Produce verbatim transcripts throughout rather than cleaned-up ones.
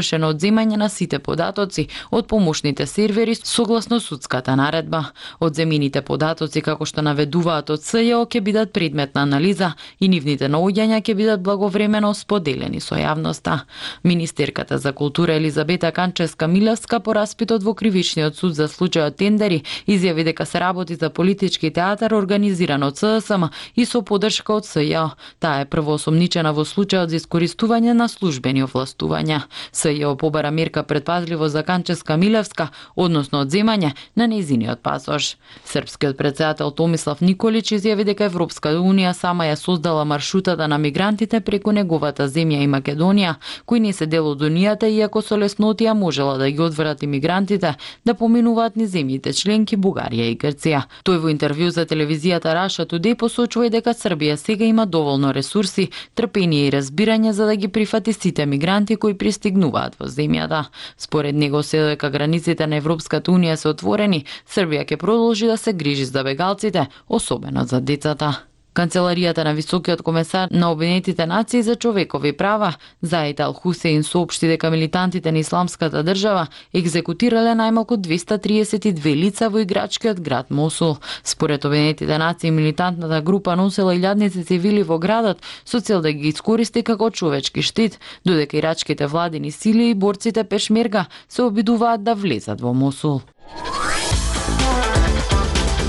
извршено одземање на сите податоци од помошните сервери согласно судската наредба. Одземените податоци, како што наведуваат од СЈО, ќе бидат предмет на анализа и нивните наоѓања ќе бидат благовремено споделени со јавноста. Министерката за култура Елизабета Канчевска-Милевска по распитот во Кривичниот суд за случајот Тендери изјави дека се работи за политички театар организиран од ССМ и со поддршка од СЈО. Таа е првоосомничена во случајот за искористување на службени овластувања. СЈО побара мерка предпазливо за Канчевска-Милевска, односно одземање на нејзиниот пасош. Српскиот претседател Томислав Николич изјави дека Европска унија сама ја создала маршрутата на мигрантите преку неговата земја и Македонија, кои не се дел од унијата, иако со леснотија можела да ги одврати мигрантите да поминуваат низ земјите членки Бугарија и Грција. Тој во интервју за телевизијата Russia Today посочува и дека Србија сега има доволно ресурси, трпение и разбирање за да ги прифати сите мигранти кои пристигнуваат во земјата. Според него, се дека границите на Европската унија се отворени, Србија ќе продолжи да се грижи за бегалците, особено за децата. Канцеларијата на Високиот комесар на Обединетите нации за човекови права, Заид Ал Хусеин, соопшти дека милитантите на Исламската држава екзекутирале најмалку двеста триесет и две лица во играчкиот град Мосул. Според Обединетите нации, милитантната група носела илјадници цивили во градот со цел да ги искористи како човечки штит, додека ирачките владини сили и борците пешмерга се обидуваат да влезат во Мосул.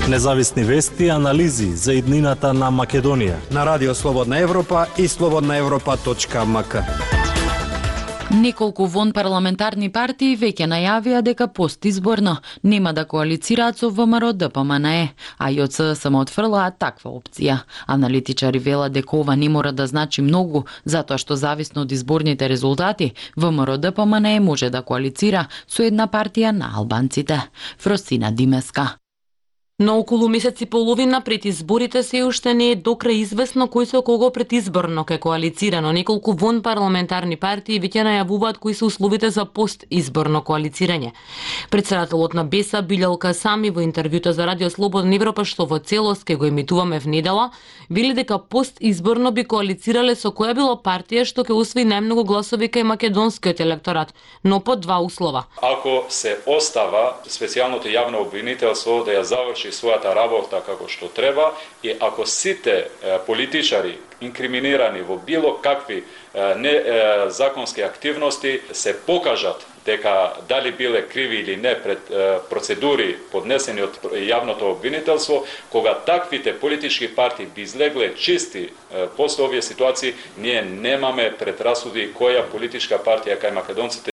Независни вести и анализи за иднината на Македонија на Радио Слободна Европа и слободна европа точка ем ка. Неколку вонпарламентарни партии веќе најавија дека постизборно нема да коалицираат со ВМРО Д П М Н Е, а и од СДСМ отфрлаат таква опција. Аналитичари велат дека ова не мора да значи многу, затоа што зависно од изборните резултати, ВМРО Д П М Н Е може да коалицира со една партија на албанците. Фросина Димеска. На околу месец и половина пред изборите се уште не е до крај известно кој со кого предизборно ке коалицира, но неколку вонпарламентарни партии веќе најавуваат кои се условите за постизборно коалицирање. Претседателот на Беса Билјал Касами во интервјуто за Радио Слободна Европа, што во целост ке го емитуваме в недела, вели дека постизборно би коалицирале со која било партија што ќе освои најмногу гласови кај македонскиот електорат, но по два услова. Ако се остава специјалното јавно обвинителство да ја заврши својата работа како што треба и ако сите политичари инкриминирани во било какви не законски активности се покажат дека дали биле криви или не пред процедури поднесени од јавното обвинителство, кога таквите политички партии би излегле чисти после овие ситуации, ние немаме предрасуди која политичка партија кај македонците